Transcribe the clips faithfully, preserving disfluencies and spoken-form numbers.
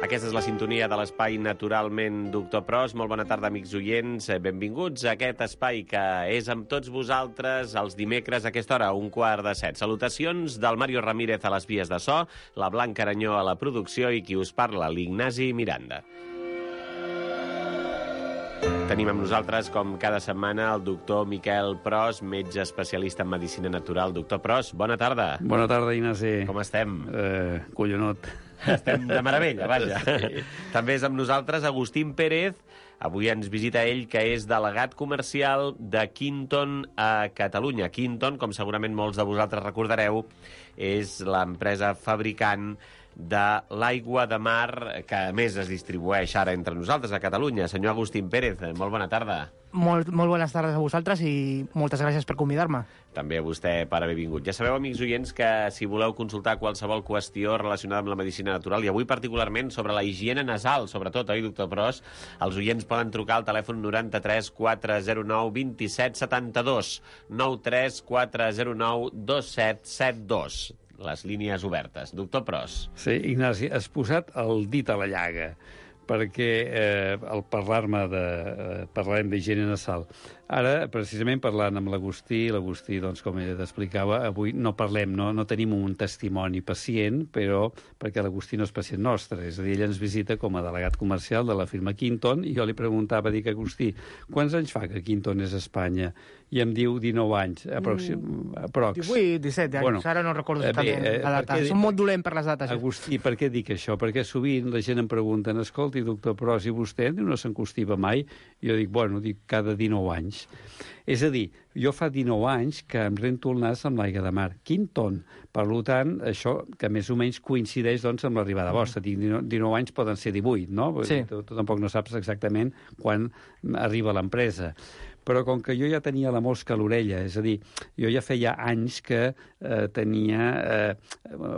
Aquesta és la sintonia de l'espai Naturalment Doctor Pros. Molt bona tarda, amics oients. Benvinguts a aquest espai que és amb tots vosaltres els dimecres a aquesta hora, un quart de set. Salutacions del Mario Ramírez a les vies de so, la Blanca Aranyó a la producció i qui us parla, l'Ignasi Miranda. Tenim amb nosaltres, com cada setmana, el doctor Miquel Pros, metge especialista en medicina natural. Doctor Pros, bona tarda. Bona tarda, Ignasi. Com estem? Eh, collonot. Estem de meravella, vaja. Sí. També és amb nosaltres Agustín Pérez. Avui ens visita ell, que és delegat comercial de Quinton a Catalunya. Quinton, com segurament molts de vosaltres recordareu, és l'empresa fabricant de l'aigua de mar que, a més, es distribueix ara entre nosaltres a Catalunya. Senyor Agustín Pérez, molt bona tarda. Molt, molt bones tardes a vosaltres i moltes gràcies per convidar-me. També a vostè per haver vingut. Ja sabeu, amics oients, que si voleu consultar qualsevol qüestió relacionada amb la medicina natural, i avui particularment sobre la higiene nasal, sobretot, oi, doctor Pros, els oients poden trucar al telèfon noranta-tres quatre zero nou dos set set dos, nou tres quatre zero nou dos set set dos. Les línies obertes. Doctor Pros. Sí, Ignasi, has posat el dit a la llaga, perquè eh, al parlar-me de... Eh, parlarem d'higiene nasal. Ara, precisament, parlant amb l'Agustí, l'Agustí, doncs, com ell t'explicava, avui no parlem, no, no tenim un testimoni pacient, però perquè l'Agustí no és pacient nostre, és a dir, ell ens visita com a delegat comercial de la firma Quinton, i jo li preguntava, dic, Agustí, quants anys fa que Quinton és a Espanya? I em diu dinou anys, aproxim, aprox. divuit, disset anys, bueno, ara no recordo exactament eh, la data. Som molt dolent per les dates. Agustí, per què dic això? Perquè sovint la gent em pregunta, escolti, doctor Pros, i vostè no s'encostiva mai? I jo dic, bueno, dic cada dinou anys. És a dir, jo fa dinou anys que em rento el nas amb l'aigua de mar. Quinton. Per tant, això que més o menys coincideix doncs, amb l'arribada mm. vostra. dinou anys poden ser divuit, no? Sí. Tu, tu tampoc no saps exactament quan arriba l'empresa. Però com que jo ja tenia la mosca a l'orella, és a dir, jo ja feia anys que eh, tenia eh,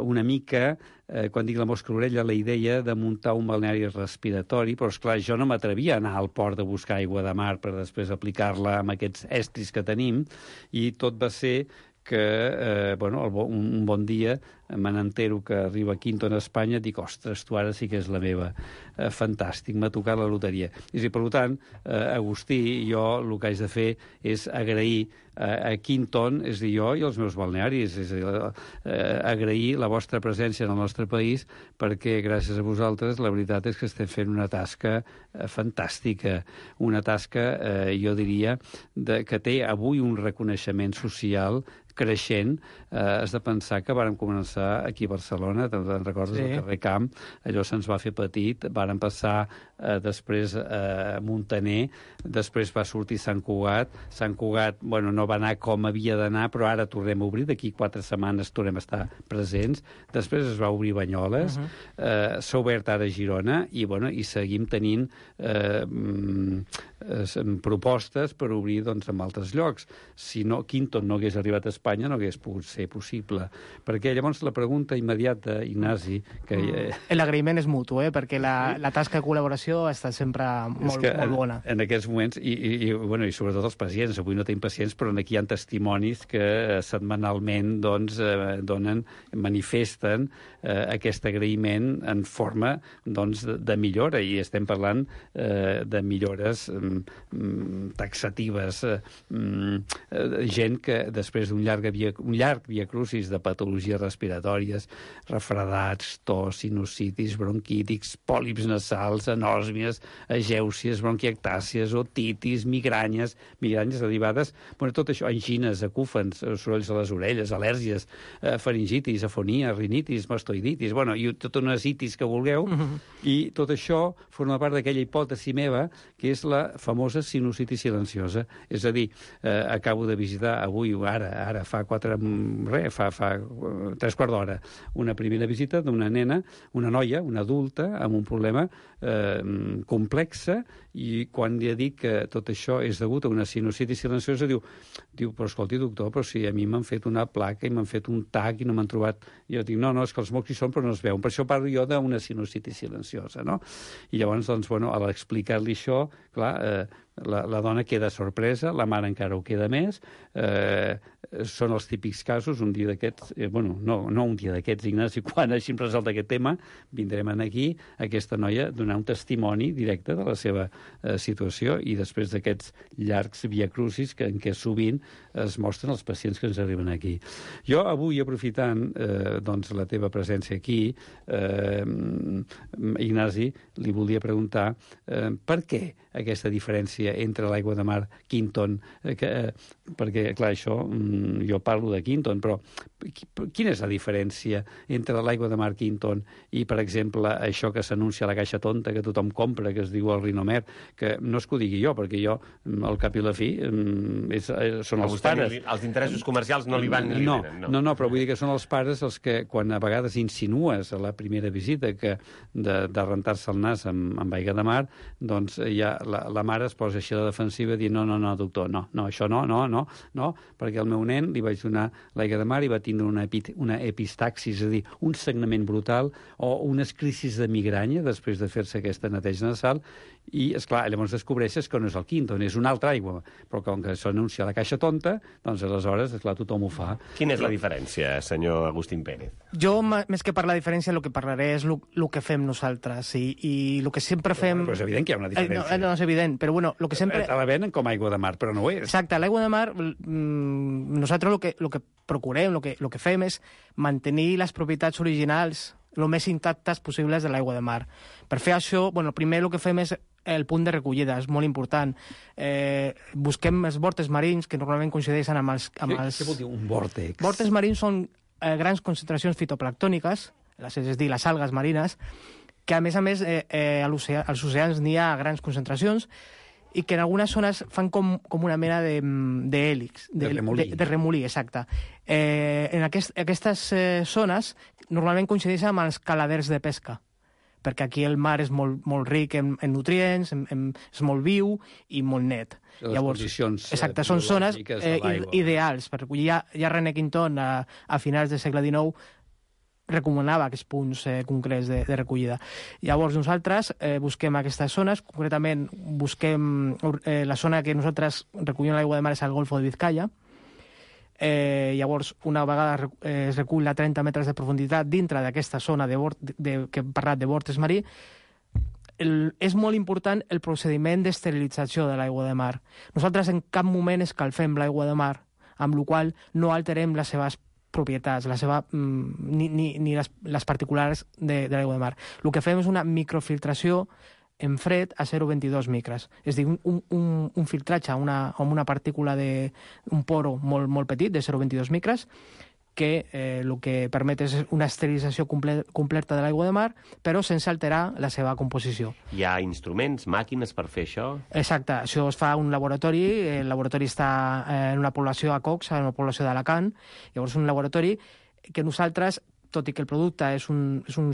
una mica, eh, quan dic la mosca a l'orella, la idea de muntar un balneari respiratori, però, esclar, jo no m'atrevia a anar al port de buscar aigua de mar per després aplicar-la amb aquests estris que tenim, i tot va ser que, eh, bueno, el bo, un, un bon dia me n'entero que arriba Quinton a Espanya, dic, ostres, tu ara sí que és la meva. Eh, fantàstic, m'ha tocat la loteria. I per tant, eh, Agustí, jo el que haig de fer és agrair eh, a Quinton, és a dir, jo i els meus balnearis, és a dir, eh, agrair la vostra presència en el nostre país, perquè gràcies a vosaltres la veritat és que estem fent una tasca eh, fantàstica, una tasca, eh, jo diria, de, que té avui un reconeixement social creixent. Eh, has de pensar que vàrem començar aquí a Barcelona, te'n recordes, sí. Al carrer Camp, allò se'ns va fer petit, vàrem passar eh, després a eh, Montaner, després va sortir Sant Cugat, Sant Cugat, bueno, no va anar com havia d'anar, però ara tornem a obrir, d'aquí quatre setmanes tornem a estar presents, després es va obrir Banyoles, uh -huh. eh, s'ha obert ara Girona, i, bueno, i seguim tenint eh, eh, propostes per obrir, doncs, en altres llocs. Si no, Quinton no hagués arribat a Espanya, no hagués pogut ser possible. Perquè llavors la pregunta immediata, Ignasi... que mm. L'agraïment és mutu, eh? Perquè la, la tasca de col·laboració ha estat sempre molt, molt bona. En, en aquests moments, i, i, i, bueno, i sobretot els pacients, avui no tenim pacients, però aquí hi ha testimonis que setmanalment doncs, eh, donen, manifesten eh, aquest agraïment en forma doncs, de, de millora, i estem parlant eh, de millores mm, taxatives, eh, mm, gent que després d'un llarg via, un llarg viacrucis de patologies respiratòries, refredats, tos, sinusitis, bronquítics, pòlips nasals, anòsmies, agèucies, bronquiectàcies, otitis, migranyes, migranyes derivades, bueno, tot això, angines, acúfens, sorolls a les orelles, al·lèrgies, eh, faringitis, afonia, rinitis, mastoiditis, bueno, i totes unes itis que vulgueu, mm-hmm. i tot això forma part d'aquella hipòtesi meva, que és la famosa sinusitis silenciosa. És a dir, eh, acabo de visitar avui, ara, ara fa quatre, res, fa, fa tres quarts d'hora, una primera visita d'una nena, una noia, una adulta, amb un problema eh, complexa, i quan li dic que tot això és degut a una sinusitis silenciosa, diu, diu, però escolti, doctor, però si a mi m'han fet una placa i m'han fet un tac i no m'han trobat... I jo dic, no, no, és que els mocs hi són però no es veuen. Per això parlo jo d'una sinusitis silenciosa, no? I llavors, doncs, bueno, a l'explicar-li això, clar, eh, la, la dona queda sorpresa, la mare encara ho queda més, eh, són els típics casos, un dia d'aquests, eh, bueno, no, no un dia d'aquests, Ignasi, quan hagin resolt aquest tema, vindrem aquí, aquesta noia, donar un testimoni directe de la seva eh, situació i després d'aquests llargs viacrucis que, en què sovint es mostren els pacients que ens arriben aquí. Jo avui, aprofitant eh, doncs, la teva presència aquí, eh, Ignasi, li volia preguntar eh, per què aquesta diferència entre l'aigua de mar Quinton, eh, que, eh, perquè, clar, això, mm, jo parlo de Quinton, però quina és la diferència entre l'aigua de mar Quinton i, per exemple, això que s'anuncia a la caixa tonta, que tothom compra, que es diu el Rinomer, que no és que ho digui jo, perquè jo, al cap i la fi, és, són els pares. Li, els interessos comercials no li van ni li no, venen. No, no, no, però vull dir que són els pares els que, quan a vegades insinues a la primera visita que de, de rentar-se el nas amb, amb aigua de mar, doncs ja la, la mare es posa així a la defensiva i dir no, no, no, doctor, no, no, això no, no, no, no, perquè al meu nen li vaig donar l'aigua de mar i va tindre una, epi, una epistaxis, és a dir, un sagnament brutal o unes crisis de migranya després de fer-se aquesta neteja nasal i, esclar, llavors descobreixes que no és el Quinton, és una altra aigua, però com que s'anuncia a la caixa tonta, doncs aleshores, esclar, tothom ho fa. Quina és la diferència, senyor Agustín Pérez? Jo, més que parlar de diferència, el que parlaré és el que fem nosaltres i, i el que sempre fem... Però és evident que hi ha una diferència. Eh, no, no és evident, però bueno, el que sempre... Te la venen com aigua de mar, però no ho és. Exacte, l'aigua de mar, mmm, nosaltres el que, el que procurem, el que, el que fem és mantenir les propietats originals el més intactes possibles de l'aigua de mar. Per fer això, bueno, primer el que fem és el punt de recollida, és molt important. Eh, busquem els vòrtexs marins, que normalment coincideixen amb els... Amb els... Què vol dir un vòrtex? Vòrtexs marins són eh, grans concentracions fitoplactòniques, és a dir, les algues marines, que a més a més eh, eh, als oceans n'hi ha grans concentracions i que en algunes zones fan com, com una mena d'hèlix. De, de, de remolí. De, de remolí, exacte. Eh, en aquest, aquestes eh, zones normalment coincideixen amb els caladers de pesca, perquè aquí el mar és molt, molt ric en, en nutrients, en, en, és molt viu i molt net. Les Llavors, condicions exacte, són zones eh, ideals. Per recollir. Ja, ja René Quinton, a, a finals del segle dinou, recomanava aquests punts eh, concrets de, de recollida. Llavors nosaltres eh, busquem aquestes zones, concretament busquem eh, la zona que nosaltres recollim l'aigua de mar és el Golfo de Vizcaya. Eh, llavors, una vegada eh, es recull a trenta metres de profunditat dintre d'aquesta zona de, de, de, que hem parlat de vòrtex marí, el, és molt important el procediment d'esterilització de l'aigua de mar. Nosaltres en cap moment escalfem l'aigua de mar, amb la qual no alterem les seves propietats, la seva, mm, ni, ni, ni les, les particulars de, de l'aigua de mar. El que fem és una microfiltració en fred a zero coma vint-i-dos micres. És a dir, un, un, un filtratge una, amb una partícula de un poro molt, molt petit, de zero coma vint-i-dos micres, que eh, el que permet és una esterilització comple completa de l'aigua de mar, però sense alterar la seva composició. Hi ha instruments, màquines per fer això? Exacte, això es fa a un laboratori, el laboratori està en una població a Cox, en una població d'Alacant, llavors un laboratori que nosaltres, tot i que el producte és un, és un,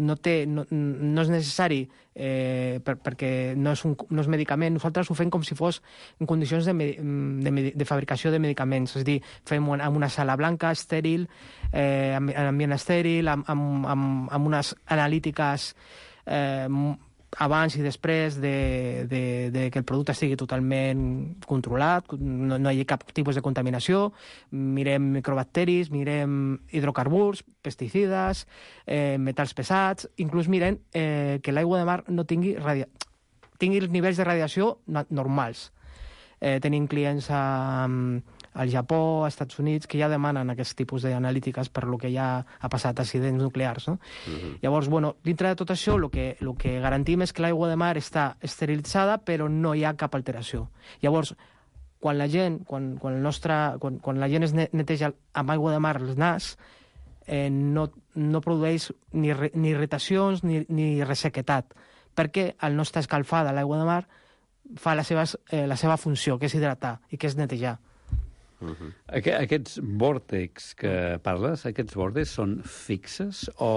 no, té, no, no és necessari eh, per, perquè no és, un, no és medicament, nosaltres ho fem com si fos en condicions de, de, de fabricació de medicaments, és a dir, fem en una sala blanca, estèril, eh, en ambient estèril, amb, amb, amb, amb unes analítiques eh, abans i després de, de, de que el producte estigui totalment controlat, no, no hi ha cap tipus de contaminació, mirem microbacteris, mirem hidrocarburs, pesticides, eh, metalls pesats, inclús mirem eh, que l'aigua de mar no tingui, radia... tingui els nivells de radiació normals. Eh, tenim clients a, al Japó, als Estats Units, que ja demanen aquest tipus d'analítiques per lo que ja ha passat, accidents nuclears. No? Uh-huh. Llavors, bueno, dintre de tot això, el que, lo que garantim és que l'aigua de mar està esterilitzada, però no hi ha cap alteració. Llavors, quan la gent, quan, quan, el nostre, quan, quan la gent es neteja amb aigua de mar el nas, eh, no, no produeix ni, re, ni irritacions ni, ni ressequetat, perquè al no estar escalfada l'aigua de mar fa la seva, eh, la seva funció, que és hidratar i que és netejar. Uh-huh. Aqu aquests vòrtex que parles, aquests vòrtex són fixes o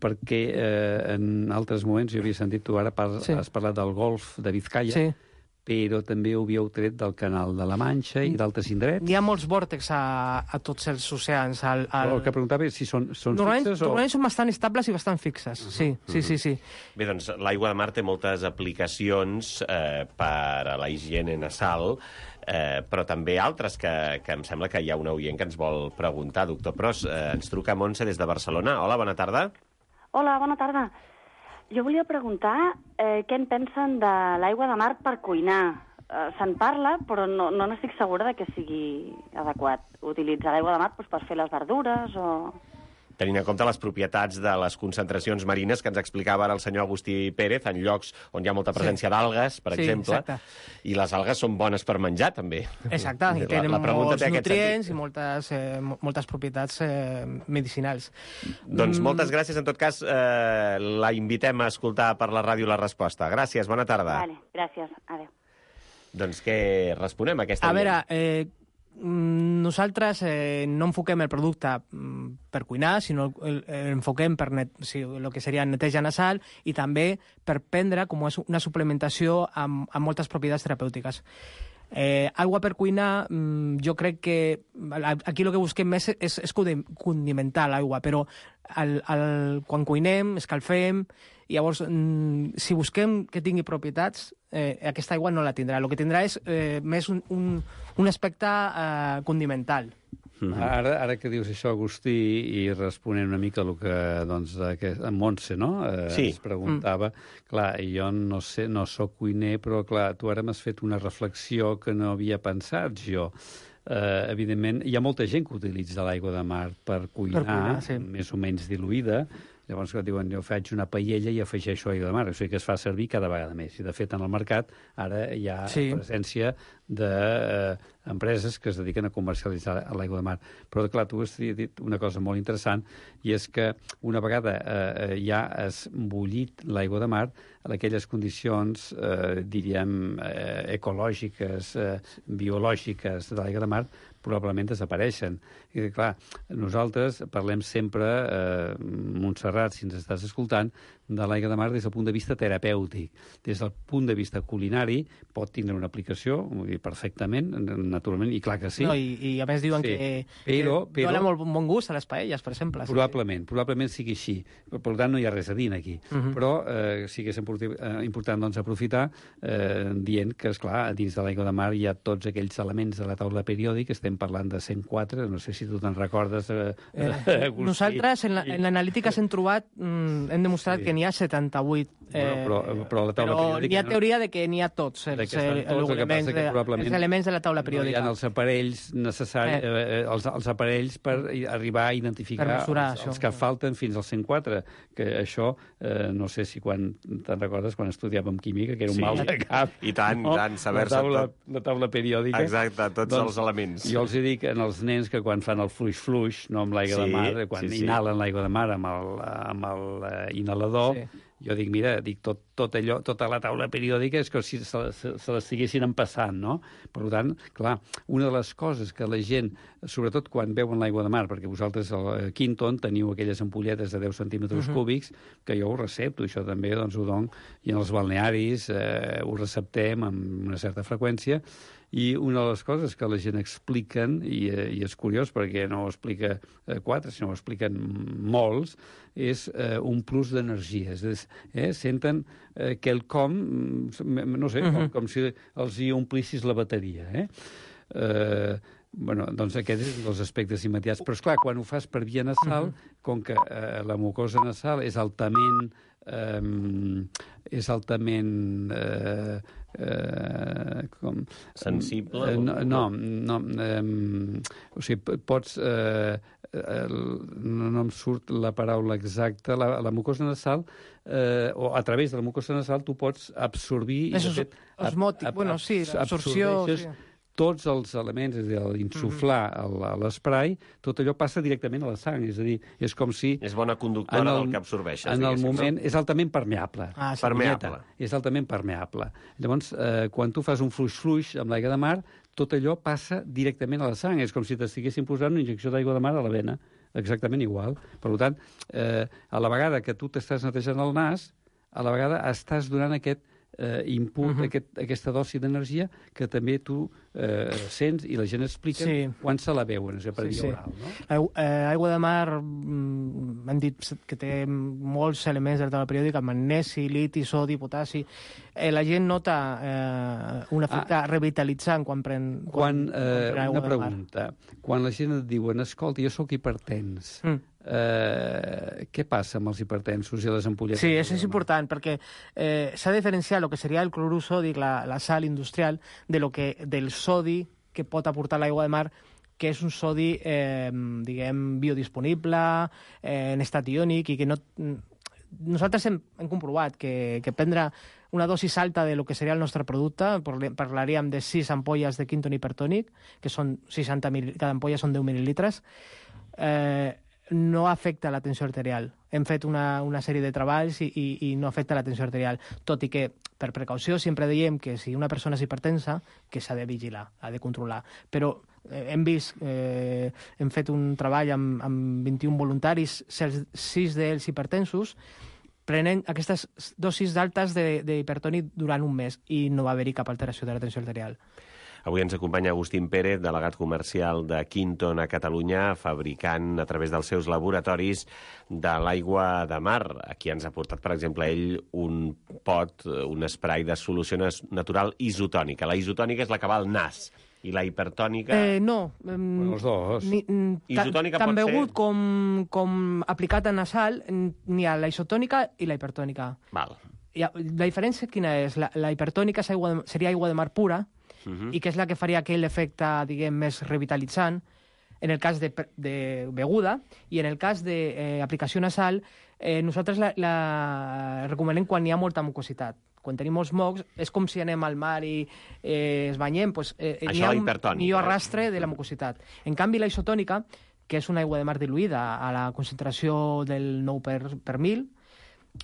perquè eh, en altres moments jo havia sentit tu ara par sí. has parlat del golf de Vizcaya, sí. però també ho havíeu tret del Canal de la Manxa i d'altres indrets. Hi ha molts vòrtex a, a tots els oceans. Al, al... El que preguntava és si són, són normalment, fixes o... Normalment són bastant estables i bastant fixes, uh -huh. sí, sí, sí, sí. Bé, doncs l'aigua de mar té moltes aplicacions eh, per a la higiene nasal, eh, però també altres que, que em sembla que hi ha un oient que ens vol preguntar. Doctor Pros, eh, ens truca Montse des de Barcelona. Hola, bona tarda. Hola, bona tarda. Jo volia preguntar eh, què en pensen de l'aigua de mar per cuinar. Eh, Se'n parla, però no, no n'estic segura de que sigui adequat utilitzar l'aigua de mar doncs, per fer les verdures o... Tenint en compte les propietats de les concentracions marines que ens explicava ara el senyor Agustí Pérez, en llocs on hi ha molta presència sí. d'algues, per sí, exemple, exacte. i les algues són bones per menjar, també. Exacte, i tenen la, la molts nutrients i moltes, eh, moltes propietats eh, medicinals. Doncs mm. moltes gràcies. En tot cas, eh, la invitem a escoltar per la ràdio la resposta. Gràcies, bona tarda. Vale, gràcies, adéu. Doncs què responem a aquesta... A veure, eh, nosaltres eh, no enfoquem el producte per cuinar, sinó el, el enfoquem per net, o sigui, el que seria neteja nasal i també per prendre com és una suplementació amb, amb moltes propietats terapèutiques. Eh, aigua per cuinar, jo crec que aquí el que busquem més és, és condimentar l'aigua, però el, el, quan cuinem, escalfem, i llavors, si busquem que tingui propietats, eh, aquesta aigua no la tindrà. El que tindrà és eh, més un, un, un aspecte eh, condimental. Mm-hmm. Ara, ara que dius això, Agustí, i responent una mica el que, doncs, que en Montse, no?, eh, sí. es preguntava. Mm. Clar, jo no sé, no sóc cuiner, però, clar, tu ara m'has fet una reflexió que no havia pensat jo. Uh, evidentment, hi ha molta gent que utilitza l'aigua de mar per cuinar, per cuinar sí. més o menys diluïda. Llavors, que diuen, jo faig una paella i afegeixo aigua de mar. O sigui que es fa servir cada vegada més. I, de fet, en el mercat ara hi ha sí. presència d'empreses eh, que es dediquen a comercialitzar l'aigua de mar. Però, clar, tu has dit una cosa molt interessant, i és que una vegada eh, ja has bullit l'aigua de mar, en aquelles condicions, eh, diríem, eh, ecològiques, eh, biològiques de l'aigua de mar, probablement desapareixen. I, clar, nosaltres parlem sempre, eh, Montserrat, si ens estàs escoltant, de l'aigua de mar des del punt de vista terapèutic. Des del punt de vista culinari pot tindre una aplicació, perfectament, naturalment, i clar que sí. No, i, I a més diuen sí. que, però, que dona molt bon gust a les paelles, per exemple. Probablement, sí. probablement sigui així. Per tant, no hi ha res a dir aquí. Uh -huh. Però eh, sí que és important doncs, aprofitar eh, dient que, esclar, dins de l'aigua de mar hi ha tots aquells elements de la taula periòdica, estem parlant de cent quatre, no sé si tu te'n recordes, eh, eh, Nosaltres, en l'analítica la, hem trobat, mm, hem demostrat sí. que n'hi ha setanta-vuit. Eh, bueno, però, però la taula però periòdica... N'hi ha teoria de que n'hi ha tots, els, tots, els, elements, de, els elements de la taula periòdica. No hi ha els aparells necessaris, eh. Eh, els, els aparells per arribar a identificar mesurar, els, els que falten fins al cent quatre, que això, eh, no sé si quan te'n recordes, quan estudiàvem química, que era un sí. mal de cap. I tant, no? tant, saber-se tot. La taula periòdica. Exacte, tots doncs, els elements. Jo els dic als nens que quan fan el fluix-fluix, no amb l'aigua sí, de mar, quan sí, sí. inhalen l'aigua de mar amb el, amb el uh, inhalador, sí. jo dic, mira, dic, tot, tot allò, tota la taula periòdica és com si se, se, se l'estiguessin empassant, no? Per tant, clar, una de les coses que la gent, sobretot quan veuen l'aigua de mar, perquè vosaltres a Quinton teniu aquelles ampolletes de deu centímetres uh -huh. cúbics, que jo ho recepto, això també doncs, ho dono, i en els balnearis eh, ho receptem amb una certa freqüència, i una de les coses que la gent expliquen, i, i és curiós perquè no ho explica eh, quatre, sinó ho expliquen molts, és eh, un plus d'energia. És, eh, senten eh, quelcom, no sé, uh -huh. com, com si els hi omplissis la bateria. Eh? Eh, bueno, doncs aquest és un dels aspectes immediats. Però, esclar, quan ho fas per via nasal, uh -huh. com que eh, la mucosa nasal és altament... Eh, és altament... Eh, Eh, com, sensible? Eh, no, no, no eh, o sigui, pots eh, eh, no, no em surt la paraula exacta, la, la mucosa nasal eh, o a través de la mucosa nasal tu pots absorbir... És osmòtic, ab, bueno, sí, l'absorció... Sí. Tots els elements, és a dir, l'insuflar mm-hmm. l'esprai, tot allò passa directament a la sang, és a dir, és com si... És bona conductora el, del que absorbeixes. En el moment, no? És altament permeable. Ah, sí. Permeable. És altament permeable. Llavors, eh, quan tu fas un fluix-fluix amb l'aigua de mar, tot allò passa directament a la sang, és com si t'estiguessin posant una injecció d'aigua de mar a la vena, exactament igual. Per tant, eh, a la vegada que tu t'estàs netejant el nas, a la vegada estàs donant aquest eh, input, uh -huh. aquest, aquesta dosi d'energia que també tu eh, sents i la gent explica sí. quan se la veuen, és a dir, per sí, via oral. Sí. No? Aigua, eh, aigua de mar, mm, hem dit que té molts elements de la taula periòdica, magnesi, liti, sodi, potassi. Eh, la gent nota eh, un efecte ah. revitalitzant quan pren, quan, quan, eh, quan pren aigua una de mar. pregunta. Quan la gent et diuen, escolta, jo sóc hipertens, mm. eh, què passa amb els hipertensos i les ampolletes? Sí, això és important, perquè eh, s'ha de diferenciar el que seria el clorur sòdic, la, la sal industrial, de lo que, del sodi que pot aportar l'aigua de mar, que és un sodi, eh, diguem, biodisponible, eh, en estat iònic, i que no... Nosaltres hem, hem comprovat que, que prendre una dosis alta de lo que seria el nostre producte, parlaríem de sis ampolles de Quinton hipertònic, que són seixanta mil, cada ampolla són deu mil·lilitres, eh, no afecta la tensió arterial. Hem fet una, una sèrie de treballs i, i, i no afecta la tensió arterial, tot i que, per precaució, sempre diem que si una persona és hipertensa, que s'ha de vigilar, ha de controlar. Però eh, hem vist, eh, hem fet un treball amb, amb vint-i-un voluntaris, sis d'ells hipertensos, prenent aquestes dosis altes d'hipertònic durant un mes i no va haver-hi cap alteració de la tensió arterial. Avui ens acompanya Agustín Pérez, delegat comercial de Quinton a Catalunya, fabricant a través dels seus laboratoris de l'aigua de mar. Aquí ens ha portat, per exemple, ell un pot, un spray de solució natural isotònica. La isotònica és la que va al nas. I la hipertònica... Eh, no. Eh, bueno, els dos. Ni, isotònica tant pot begut ser... com, com aplicat a nasal, n'hi ha la isotònica i la hipertònica. Val. I la diferència quina és? La, la hipertònica és aigua de, seria aigua de mar pura, Uh-huh. i que és la que faria aquell efecte, diguem, més revitalitzant en el cas de, de beguda, i en el cas d'aplicació eh, nasal, eh, nosaltres la, la recomanem quan hi ha molta mucositat. Quan tenim molts mocs, és com si anem al mar i eh, es banyem, doncs, eh, Això n'hi ha un hipertònica, millor eh? arrastre de la mucositat. En canvi, la isotònica, que és una aigua de mar diluïda a la concentració del nou per, per mil,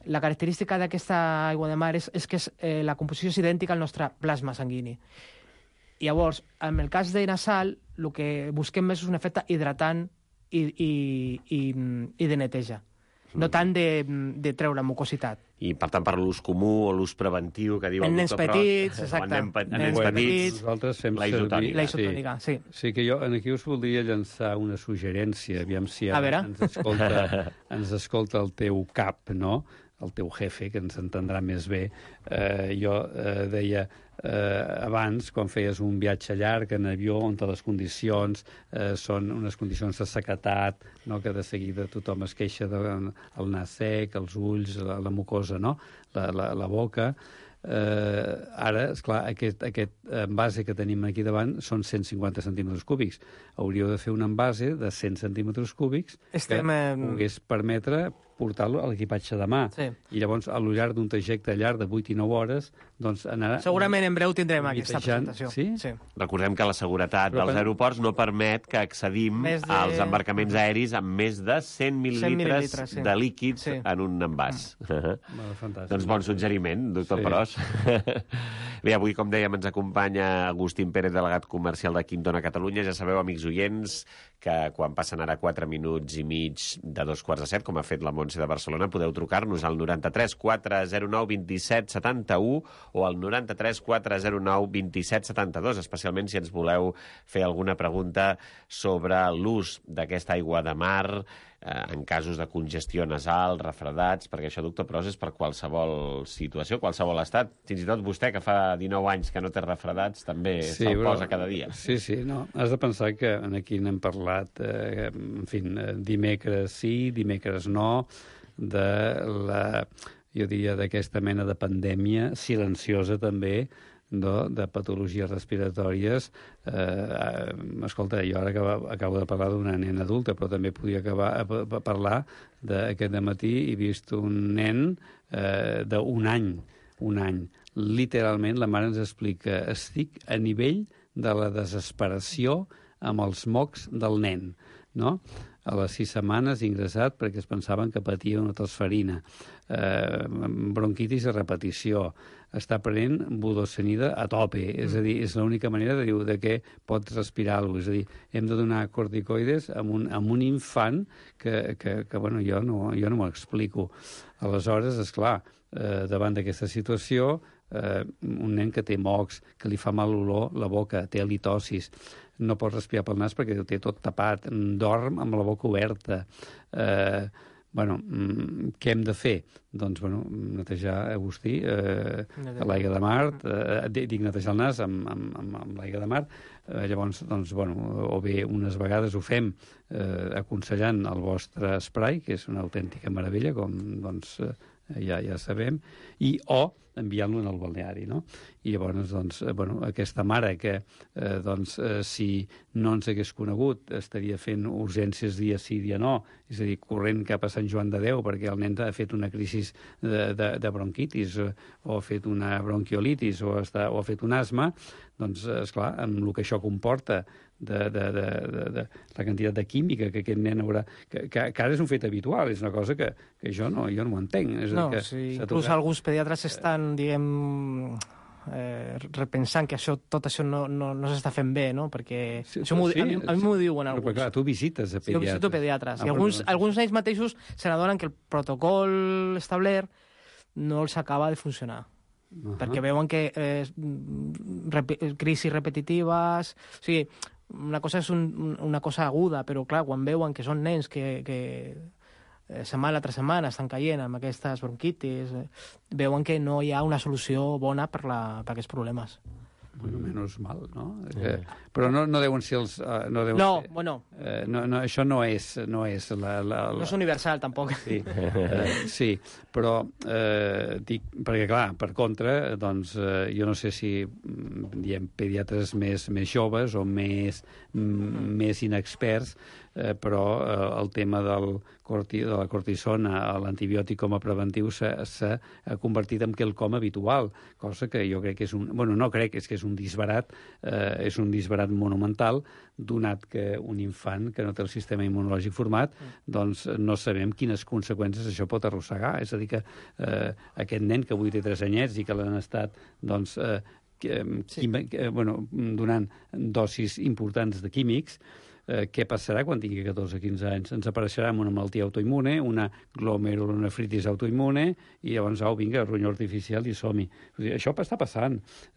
la característica d'aquesta aigua de mar és, és que és, eh, la composició és idèntica al nostre plasma sanguini. I llavors, en el cas de nasal, el que busquem més és un efecte hidratant i, i, i, i de neteja, no tant de, de treure mucositat. I, per tant, per l'ús comú o l'ús preventiu que diu el doctor Prost... En nens petits, exacte. En nens petits, nosaltres fem la isotònica. La isotònica, sí. sí. Sí, que jo aquí us voldria llançar una suggerència, aviam si ara ens escolta, ens escolta el teu cap, no?, el teu jefe, que ens entendrà més bé. Eh, jo eh, deia eh, abans, quan feies un viatge llarg en avió, on les condicions eh, són unes condicions de sequedat, no?, que de seguida tothom es queixa del nas sec, els ulls, la, la mucosa, no?, la, la, la boca. Eh, ara, esclar, aquest, aquest envase que tenim aquí davant són cent cinquanta centímetres cúbics. Hauríeu de fer un envase de cent centímetres cúbics Estem, que eh... pogués permetre portar-lo a l'equipatge de mà. Sí. I llavors, a lo llarg d'un trajecte llarg de vuit i nou hores, doncs anar... Segurament en breu tindrem aquesta presentació. Sí? Sí. Recordem que la seguretat Però dels quan... aeroports no permet que accedim de... als embarcaments aeris amb més de cent mil·lilitres sí. de líquids sí. en un envàs. Mm. Bueno, fantàstic. Doncs bon suggeriment, doctor sí. Prost. Bé, avui, com dèiem, ens acompanya Agustín Pérez, delegat comercial de Quinton a Catalunya. Ja sabeu, amics oients, que quan passen ara quatre minuts i mig de dos quarts de set, com ha fet la Montse de Barcelona, podeu trucar-nos al noranta-tres quatre zero nou vint set setanta-u o al noranta-tres quatre zero nou vint set setanta-dos, especialment si ens voleu fer alguna pregunta sobre l'ús d'aquesta aigua de mar eh, en casos de congestió nasal, refredats, perquè això, doctor Prost, és per qualsevol situació, qualsevol estat. Fins i tot vostè, que fa dinou anys que no té refredats, també sí, se'l posa cada dia. Sí, sí, no. Has de pensar que aquí n'hem parlat, eh, en fi, dimecres sí, dimecres no, de la, jo diria, d'aquesta mena de pandèmia silenciosa també, no, de patologies respiratòries. Eh, escolta, jo ara acabo, acabo de parlar d'una nena adulta, però també podia acabar a, a parlar d'aquest dematí he vist un nen eh, d'un any, un any. Literalment, la mare ens explica, estic a nivell de la desesperació amb els mocs del nen, no? A les sis setmanes ingressat perquè es pensaven que patia una tosferina. eh, bronquitis a repetició, està prenent budosonida a tope, és a dir, és l'única manera de, diu, de què pots respirar alguna cosa. És a dir, hem de donar corticoides a un, a un infant que, que, que bueno, jo no, jo no m'ho explico. Aleshores, esclar, eh, davant d'aquesta situació, eh, un nen que té mocs, que li fa mal l'olor, la boca, té halitosis, no pot respirar pel nas perquè ho té tot tapat, dorm amb la boca oberta. Eh, bueno, què hem de fer? Doncs, bueno, netejar, Agustí, eh, l'aigua de mar, eh, dic netejar el nas amb, amb, amb, amb l'aigua de mar, eh, llavors, doncs, bueno, o bé unes vegades ho fem eh, aconsellant el vostre spray, que és una autèntica meravella, com, doncs, eh, ja ja sabem, i o enviant-lo en el balneari, no? I llavors, doncs, bueno, aquesta mare que, eh, doncs, eh, si no ens hagués conegut, estaria fent urgències dia sí, dia no, és a dir, corrent cap a Sant Joan de Déu perquè el nen ha fet una crisi de, de, de bronquitis o, o ha fet una bronquiolitis o, està, o ha fet un asma, doncs, esclar, amb el que això comporta de, de, de, de, de la quantitat de química que aquest nen haurà... Que, que, que ara és un fet habitual, és una cosa que, que jo no, jo no ho entenc. És no, a dir, que sí, inclús tocat... alguns pediatres estan, diguem, eh, repensant que això, tot això no, no, no s'està fent bé, no? Perquè sí, això sí, a, mi, a mi m'ho diuen alguns. Però clar, tu visites a pediatres. Jo visito pediatres. Ah, I alguns, bueno, alguns d'ells mateixos se n'adonen que el protocol establert no els acaba de funcionar. Uh -huh. Perquè veuen que eh, rep crisis repetitives... O sigui, una cosa és un, una cosa aguda, però clar, quan veuen que són nens que, que eh, setmana tras setmana estan caient amb aquestes bronquitis, eh, veuen que no hi ha una solució bona per, la, per aquests problemes. Bueno, menys mal, no? Sí. Eh, però no, no deuen ser els... Uh, no, deuen no ser, bueno... Eh, no, no, això no és, no és la, la, la... No és universal, tampoc. Sí, eh, sí, però eh, dic, perquè clar, per contra, doncs eh, jo no sé si diem pediatres més, més joves o més, mm. més inexperts, eh, però eh, el tema del corti, de la cortisona, l'antibiòtic com a preventiu s'ha convertit en quelcom habitual, cosa que jo crec que és un... Bueno, no crec, és que és un disbarat, eh, és un disbarat monumental, donat que un infant que no té el sistema immunològic format, doncs no sabem quines conseqüències això pot arrossegar. És a dir, que eh, aquest nen que avui té tres anyets i que l'han estat, doncs, eh, sí. quim, eh, bueno, donant dosis importants de químics, Eh, què passarà quan tingui catorze o quinze anys? Ens apareixerà una malaltia autoimmune, una glomerulonefritis autoimmune, i llavors, au, vinga, ronyó artificial i som-hi. Això està passant,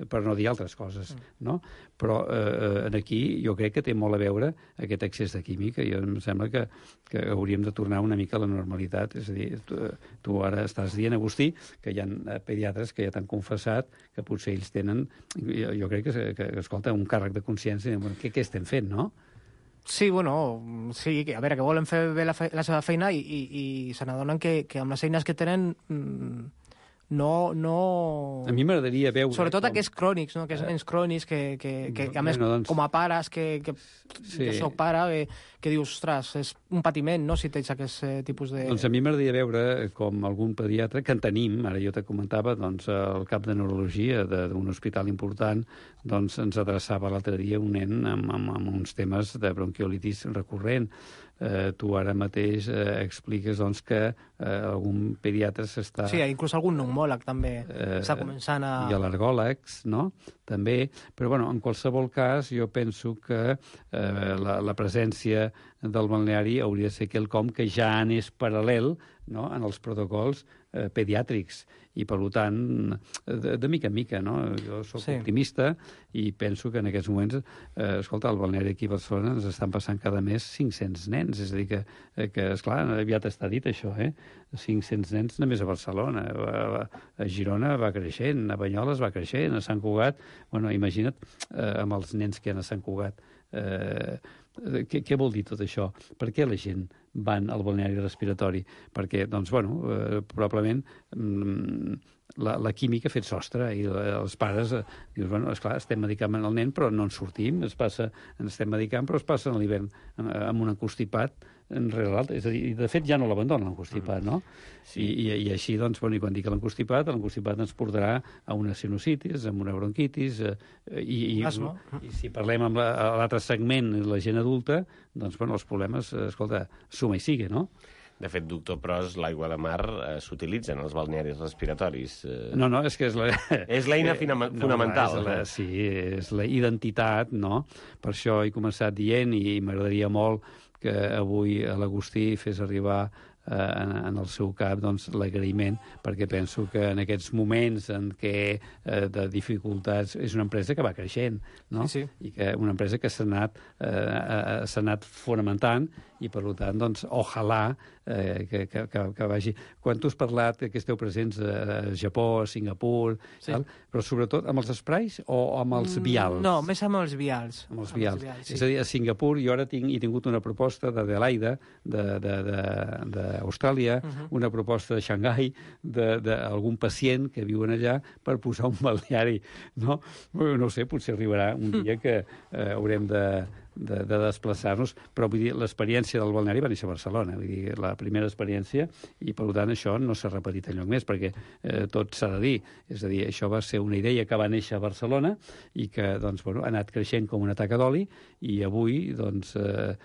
per no dir altres coses, no? Però eh, aquí jo crec que té molt a veure aquest excés de química. Jo em sembla que, que hauríem de tornar una mica a la normalitat. És a dir, tu, tu ara estàs dient, Agustí, que hi ha pediatres que ja t'han confessat que potser ells tenen, jo, jo crec que, que, escolta, un càrrec de consciència, bueno, què, què estem fent, no? Sí, bueno, sí, a veure, que volen fer bé la, fe la seva feina i, i, i se n'adonen que, que amb les eines que tenen mmm, no, no... A mi m'agradaria veure... Sobretot com... aquests crònics, no? Aquests nens crònics que, que, que, que a més, bueno, doncs... com a pares, que, que sí. Jo soc pare, que, que dius, ostres, és un patiment, no?, si tens aquest eh, tipus de... Doncs a mi m'agradaria veure com algun pediatre, que en tenim, ara jo te comentava, doncs el cap de neurologia d'un hospital important, doncs ens adreçava l'altre dia un nen amb, amb, amb uns temes de bronquiolitis recurrent. Eh, tu ara mateix eh, expliques doncs, que eh, algun pediatre s'està... Sí, inclús algun pneumòleg també eh, està començant a... I al·lergòlegs, no?, també. Però, bueno, en qualsevol cas, jo penso que eh, la, la presència del balneari hauria de ser quelcom que ja és paral·lel, no?, en els protocols eh, pediàtrics. I, per tant, de, de mica en mica, no? Jo soc sí. optimista i penso que en aquests moments, eh, escolta, al balneari aquí a Barcelona ens estan passant cada mes cinc-cents nens, és a dir, que, que esclar, aviat està dit això, eh? cinc-cents nens només a Barcelona, a, a Girona va creixent, a Banyoles va creixent, a Sant Cugat, bueno, imagina't eh, amb els nens que hi ha a Sant Cugat, eh, què, què vol dir tot això? Per què la gent van al balneari respiratori? Perquè, doncs, bueno, eh, probablement mm, la, la química ha fet sostre i els pares eh, dius, bueno, esclar, estem medicant el nen però no en sortim, es passa, ens estem medicant però es passa a l'hivern amb un encostipat enrere l'altre, és a dir, de fet ja no l'abandonen l'encostipat, no? Sí. I, i, I així, doncs, bueno, i quan dic l'encostipat, l'encostipat ens portarà a una sinusitis, a una bronquitis, eh, i, i, Asma. i si parlem amb l'altre segment, la gent adulta, doncs, bueno, els problemes, escolta, suma i sigue, no? De fet, doctor Pros, l'aigua de mar eh, s'utilitza en els balnearis respiratoris. Eh... No, no, és que és la... És l'eina fonamental. No, és la, sí, és la identitat, no? Per això he començat dient, i m'agradaria molt que avui l'Agustí fes arribar eh, en, en el seu cap doncs, l'agraïment, perquè penso que en aquests moments en què eh, de dificultats és una empresa que va creixent, no? Sí, sí. I que una empresa que s'ha anat, eh, s'ha anat fonamentant, i per tant, doncs, ojalà eh, que, que, que, que vagi... Quan tu has parlat que esteu presents a Japó, a Singapur, sí. tal, però sobretot amb els sprays o amb els vials? No, més amb els vials. Amb els vials. Amb els vials, sí. És a dir, a Singapur jo ara tinc, he tingut una proposta d'Adelaida, d'Austràlia, uh -huh. una proposta de Xangai, d'algun pacient que viuen allà per posar un balneari, no? No ho sé, potser arribarà un dia que eh, haurem de de, de desplaçar-nos, però vull dir, l'experiència del balneari va néixer a Barcelona, vull dir, la primera experiència, i per tant això no s'ha repetit enlloc més, perquè eh, tot s'ha de dir, és a dir, això va ser una idea que va néixer a Barcelona i que, doncs, bueno, ha anat creixent com una taca d'oli, i avui, doncs, eh,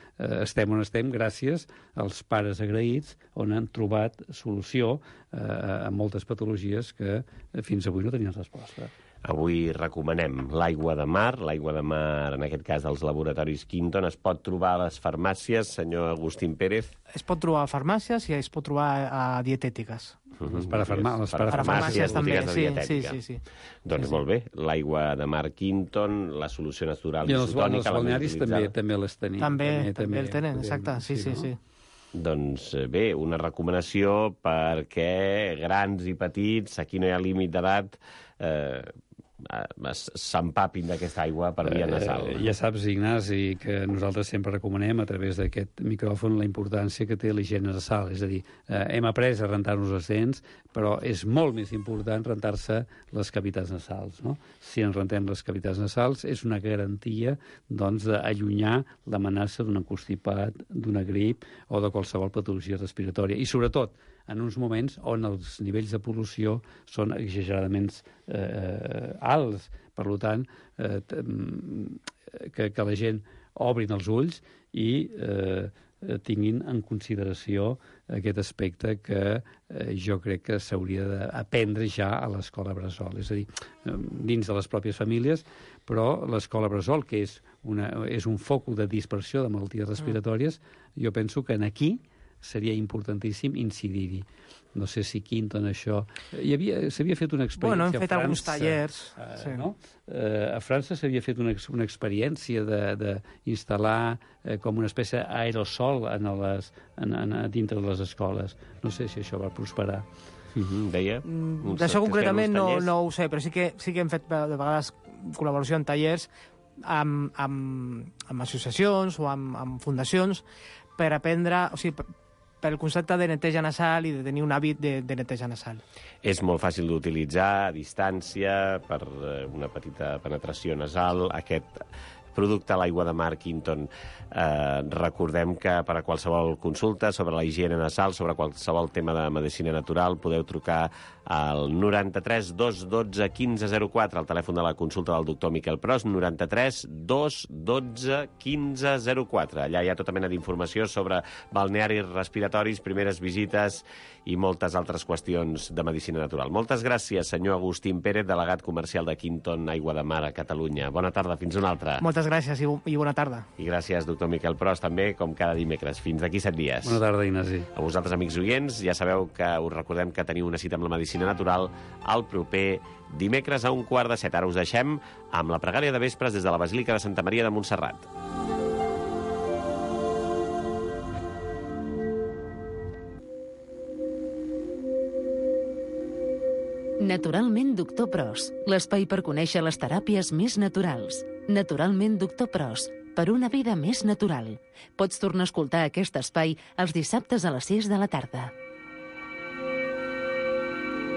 estem on estem gràcies als pares agraïts, on han trobat solució eh, a moltes patologies que fins avui no tenien resposta. Avui recomanem l'aigua de mar, l'aigua de mar, en aquest cas, dels laboratoris Quinton. Es pot trobar a les farmàcies, senyor Agustín Pérez? Es pot trobar a farmàcies i es pot trobar a dietètiques. Uh-huh. Les parafarmàcies, les parafarmàcies també, sí, sí, sí, sí. Doncs sí, sí. Molt bé, l'aigua de mar Quinton, la solució natural i isotònica... I els balnearis també, també les tenim. També, també, també el tenen, exacte, sí, sí, sí. Doncs bé, una recomanació perquè grans i petits, aquí no hi ha límit d'edat, eh, s'empapin d'aquesta aigua per via nasal. Eh, ja saps, Ignasi, que nosaltres sempre recomanem a través d'aquest micròfon la importància que té l'higiene nasal. És a dir, eh, hem après a rentar-nos les dents, però és molt més important rentar-se les cavitats nasals. No? Si ens rentem les cavitats nasals és una garantia doncs, d'allunyar l'amenaça d'un encostipat, d'una grip o de qualsevol patologia respiratòria. I sobretot, en uns moments on els nivells de pol·lució són exageradament eh, alts. Per tant, eh, que, que la gent obrin els ulls i eh, tinguin en consideració aquest aspecte que eh, jo crec que s'hauria d'aprendre ja a l'escola bressol. És a dir, dins de les pròpies famílies, però l'escola bressol, que és, una, és un focus de dispersió de malalties respiratòries, jo penso que en aquí seria importantíssim incidir-hi. No sé si Quinton això... S'havia fet una experiència bueno, hem fet a França, alguns tallers. Eh, sí. no? eh, a França s'havia fet una, una experiència d'instal·lar eh, com una espècie d'aerosol en les, en, en, dintre de les escoles. No sé si això va prosperar. Mm-hmm, deia? Mm, D'això concretament no, no ho sé, però sí que, sí que hem fet de vegades col·laboració en tallers amb, amb, amb associacions o amb, amb fundacions per aprendre... O sigui, pel concepte de neteja nasal i de tenir un hàbit de, de neteja nasal. És molt fàcil d'utilitzar, a distància, per una petita penetració nasal. Aquest producte, l'aigua de mar Quinton, eh, recordem que per a qualsevol consulta sobre la higiene nasal, sobre qualsevol tema de medicina natural, podeu trucar al noranta-tres dos dotze quinze zero quatre, el telèfon de la consulta del doctor Miquel Pros, noranta-tres dos dotze quinze zero quatre. Allà hi ha tota mena d'informació sobre balnearis respiratoris, primeres visites i moltes altres qüestions de medicina natural. Moltes gràcies, senyor Agustín Pérez, delegat comercial de Quinton Aigua de Mar a Catalunya. Bona tarda, fins una altra. Moltes gràcies i, i bona tarda. I gràcies, doctor Miquel Pros, també, com cada dimecres. Fins d'aquí set dies. Bona tarda, Ignasi. A vosaltres, amics oients, ja sabeu que us recordem que teniu una cita amb la medicina natural el proper dimecres a un quart de set. Ara us deixem amb la pregària de vespres des de la Basílica de Santa Maria de Montserrat. Naturalment Doctor Pros, l'espai per conèixer les teràpies més naturals. Naturalment Doctor Pros, per una vida més natural. Pots tornar a escoltar aquest espai els dissabtes a les sis de la tarda.